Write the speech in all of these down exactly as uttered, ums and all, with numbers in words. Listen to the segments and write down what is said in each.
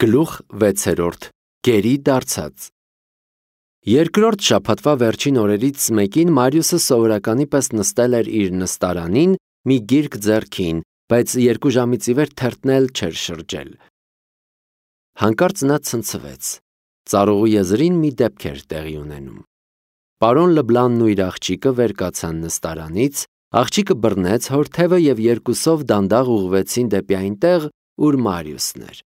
Գլուխ վեցերորդ Գերի դարձած Երկրորդ շաբաթվա վերջին օրերից մեկին Մարիուսը սովորականի պես նստել էր իր նստարանին մի գիրք ձեռքին, բայց երկու ժամից ի վեր թերթն էլ չէր շրջել։ Հանկարծ նա ցնցվեց։ Ծառուղու եզրին մի դեպք էր տեղի ունենում։ Պարոն Լբլանն ու իր աղջիկը վեր կացան նստարանից, աղջիկը բռնեց հոր թևը և երկուսով դանդաղ ուղղվեցին դեպի այնտեղ, ուր Մարիուսն էր։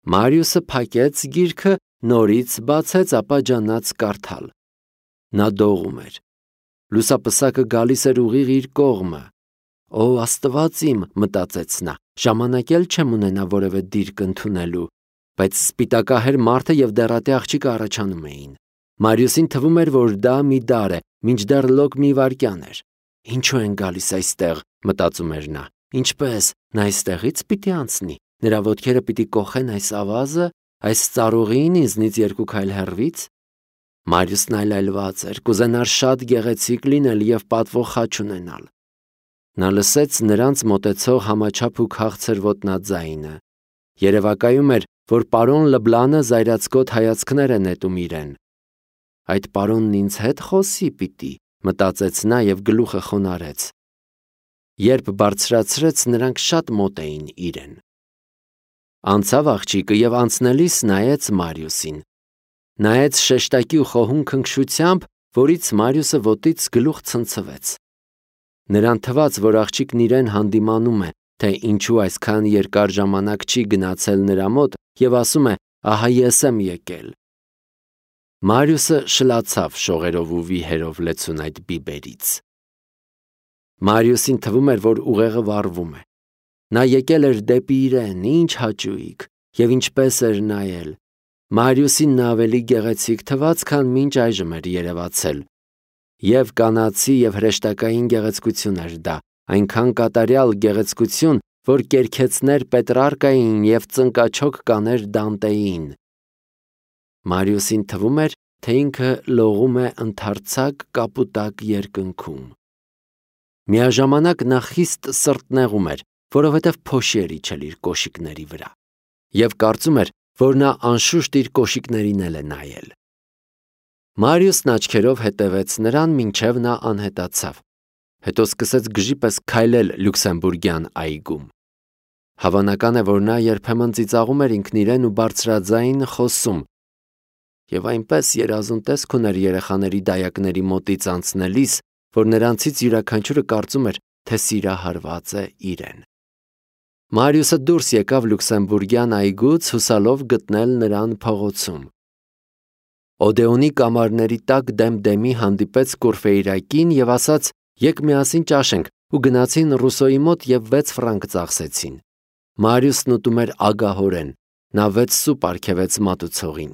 Մարիուսը փակեց գիրքը, նորից բացեց, ապա ջանաց կարդալ։ Նա դողում էր։ Լուսապսակը գալիս էր ուղիղ իր կողմը։ Օ, Աստված իմ, մտածեց նա, ժամանակ էլ չեմ ունենա որևէ դիրք ընդունելու, բայց սպիտակահեր մարդը և դեռատե աղջիկը առաջանում էին։ Մարիուսին թվում էր, որ դա մի դար է, մինչդեռ լոկ մի վայրկյան էր։ Ինչու են գալիս այստեղ, մտածում էր նա, ինչպես, նա այստեղից պիտի անցնի, նրա ոտքերը պիտի կոխեն այս ավազը, այս ծառուղին ինձնից երկու քայլ հեռվից։ Մարիուսն այլայլված էր, կուզենար շատ գեղեցիկ լինել և պատվող խաչ ունենալ։ Նա լսեց նրանց մոտեցող համաչափ ու քաղցր ոտնաձայնը։ Երևակայում էր, որ պարոն Լբլանը զայրացկոտ հայացքներ է նետում իրեն։ Այդ պարոնն ինձ հետ խոսի պիտի, մտածեց նա և գլուխը խոնարհեց։ Երբ բարձրացրեց, նրանք շատ մոտ էին իրեն։ Անցավ աղջիկը և անցնելիս նայեց Մարիուսին։ Նայեց շեշտակի ու խոհուն քնքշությամբ, որից Մարիուսը ոտից գլուխ ցնցվեց։ Նրան թվաց, որ աղջիկն իրեն հանդիմանում է, թե ինչու այսքան երկար ժամանակ չի գնացել նրա մոտ և ասում է, ահա ես եմ եկել։ Մարիուսը շլացավ շողերով ու վիհերով լեցուն այդ բիբերից։ Մարիուսին թվում էր, որ ուղեղը վառվում է։ Նա եկել էր դեպի իրեն, ինչ հաճույք, և ինչպես էր նայել։ Մարիուսին նա ավելի գեղեցիկ թվաց, քան մինչ այժմ էր երևացել։ Եվ կանացի և հրեշտակային գեղեցկություն էր դա, այնքան կատարյալ գեղեցկություն, որ կերքեցներ Պետրարկային և ծնկաչոք կաներ Դանտեին։ Մարիուսին թվում էր, թե ինքը լողում է ընդարձակ կապուտակ երկնքում։ Միաժամանակ նա խիստ սրտնեղում էր, որովհետև փոշի էր իջել իր կոշիկների վրա, և կարծում էր, որ նա անշուշտ իր կոշիկներին էլ է նայել։ Մարիուսն աչքերով հետևեց նրան, մինչև նա անհետացավ, հետո սկսեց գժի պես քայլել Լյուքսեմբուրգյան այգում։ Հավանական է, որ նա երբեմն ծիծաղում էր ինքն իրեն ու բարձրաձայն խոսում, և այնպես երազուն տեսք ուներ երեխաների դայակների մոտից անցնելիս, որ նրանցից յուրաքանչյուրը կարծում էր, թե սիրահարված է իրեն։ Մարիուսը դուրս եկավ Լյուքսեմբուրգյան այգուց, հուսալով գտնել նրան փողոցում։ Օդեոնի կամարների տակ դեմ-դեմի հանդիպեց Կուրֆեյրակին և ասաց. «Եկ միասին ճաշենք» ու գնացին Ռուսոյի մոտ և վեց ֆրանկ ծախսեցին։ Մարիուսն ուտում էր ագահորեն, նա վեց սուպ արգելեց մատուցողին։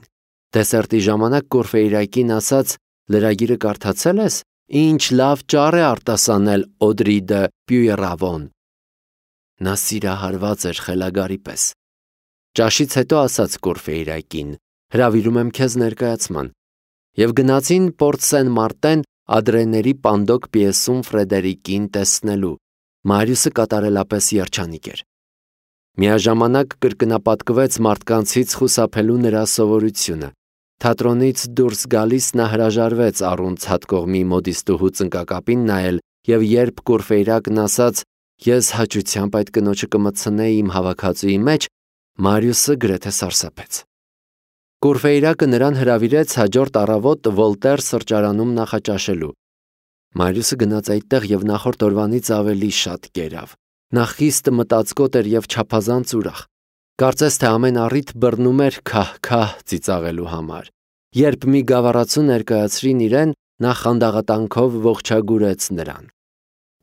Դեսերտի ժամանակ Կուրֆեյրակին ասաց. «Լրագիրը կարդացե՞լ ես։ Ինչ լավ ճառ է արտասանել Օդրի դը Պյուեռավոն»։ Նա սիրահարված էր խելագարի պես։ Ճաշից հետո ասաց Կուրֆեյրակին. «Հրավիրում եմ քեզ ներկայացման» և գնացին Պորտ Սեն Մարտեն Ադրեների Պանդոկ պիեսում Ֆրեդերիկին տեսնելու։ Մարիուսը կատարելապես երջանիկ էր։ Միաժամանակ կրկնապատկվեց մարդկանցից խուսափելու նրա սովորությունը։ Թատրոնից դուրս գալիս նա հրաժարվեց առուն ցատկողմի մոդիստուհու ծնկակապին նայել, և երբ Կուրֆեյրակն ասաց. «Ես հաճությամբ այդ կնոջը կմտցնեի իմ հավաքածուի մեջ», Մարիուսը գրեթե սարսափեց։ Կուրֆեյրակը նրան հրավիրեց հաջորդ առավոտ Վոլտեր սրճարանում նախաճաշելու։ Մարիուսը գնաց այդտեղ և նախորդ օրվանից ավելի շատ կերավ։ Նա խիստ մտածկոտ էր և չափազանց ուրախ։ Կարծես թե ամեն առիթ բռնում էր քահ-քահ ծիծաղելու համար։ Երբ մի գավառացու ներկայացրին իրեն, նա խանդաղատանքով ողջագուրեց նրան։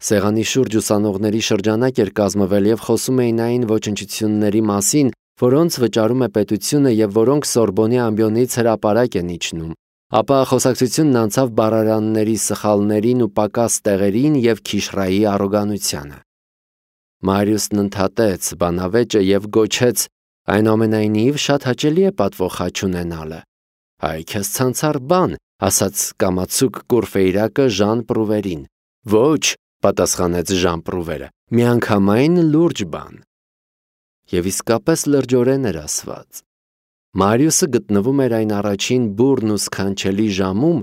Սեղանի շուրջ ուսանողների շրջանակ էր կազմվել և խոսում էին այն ոչնչությունների մասին, որոնց վճարում է պետությունը և որոնք Սորբոնի ամբիոնից հրապարակ են իջնում, ապա խոսակցությունն անցավ բառարանների սխալներին ու պակաս տեղերին և Քիշրայի առոգանությանը։ Մարիուսն ընդհատեց բանավեճը և գոչեց. «Այնուամենայնիվ շատ հաճելի է պատվող խաչ ունենալը»։ «Այ քեզ ցանցառ բան», ասաց կամացուկ Կուրֆեյրակը Ժան Պրուվերին։ «Ոչ», պատասխանեց Ժան Պրուվերը, «միանգամայն լուրջ բան»։ Եվ իսկապես լրջորեն էր ասված։ Մարիուսը գտնվում էր այն առաջին բուռն ու սքանչելի ժամում,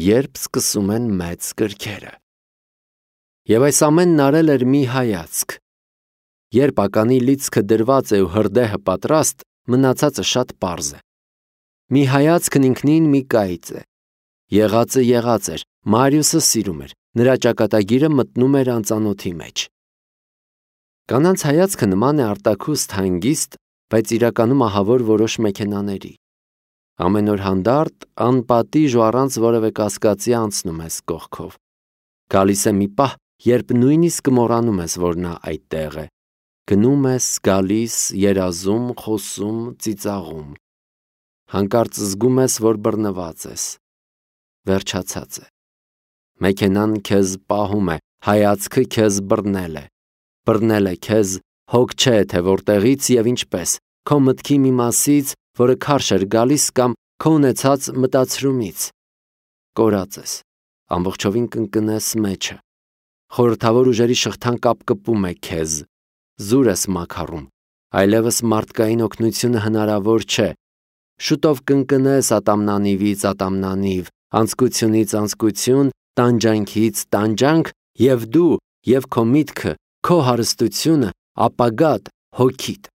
երբ սկսում են մեծ կրքերը։ Եվ այս ամենն արել էր մի հայացք։ Երբ ականի լիցքը դրված է ու հրդեհը պատրաստ, մնացածը շատ պարզ է։ Մի հայացքն ինքնին մի կայծ է։ Եղածը եղած էր, Մարիուսը սիրում էր, նրա ճակատագիրը մտնում էր անծանոթի մեջ։ Կանանց հայացքը նման է արտաքուստ հանգիստ, բայց իրականում ահավոր որոշ մեքենաների։ Ամեն օր հանդարտ, անպատիժ ու առանց որևէ կասկածի անցնում ես կողքով։ Գալիս է մի պահ, երբ նույնիսկ մոռանում ես, որ նա այդտեղ է։ Գնում ես, գալիս, երազում, խոսում, ծիծաղում։ Հանկարծ զգում ես, որ բռնված ես։ Վերջացած է։ Մեքենան քեզ պահում է, հայացքը քեզ բռնել է։ Բռնել է քեզ, հոգ չէ, թե որտեղից եւ ինչպես, քո մտքի մի մասից, որը քարշ էր գալիս կամ քո ունեցած մտածրումից։ Կորած ես, ամբողջովին կընկնես մեջը։ Խորհրդավոր ուժերի շղթան կապկպում է քեզ, զուր ես մաքարում, այլևս մարդկային օգնությունը հնարավոր չէ։ Շուտով կընկնես ատամնանիվից ատամնանիվ, անձկությունից անձկություն, տանջանքից տանջանք, եւ դու, եւ քո միտքը, քո հարստությունը, ապագատ, հոգիդ։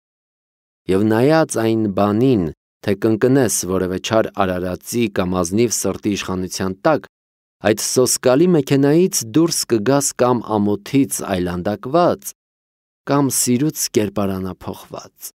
Եվ նայած այն բանին, թե կընկնես որևէ չար արարածի կամ ազնիվ սրտի իշխանության տակ, այդ սոսկալի մեքենայից դուրս կգաս կամ ամոթից այլանդակված, կամ սիրուց կերպարանափոխված։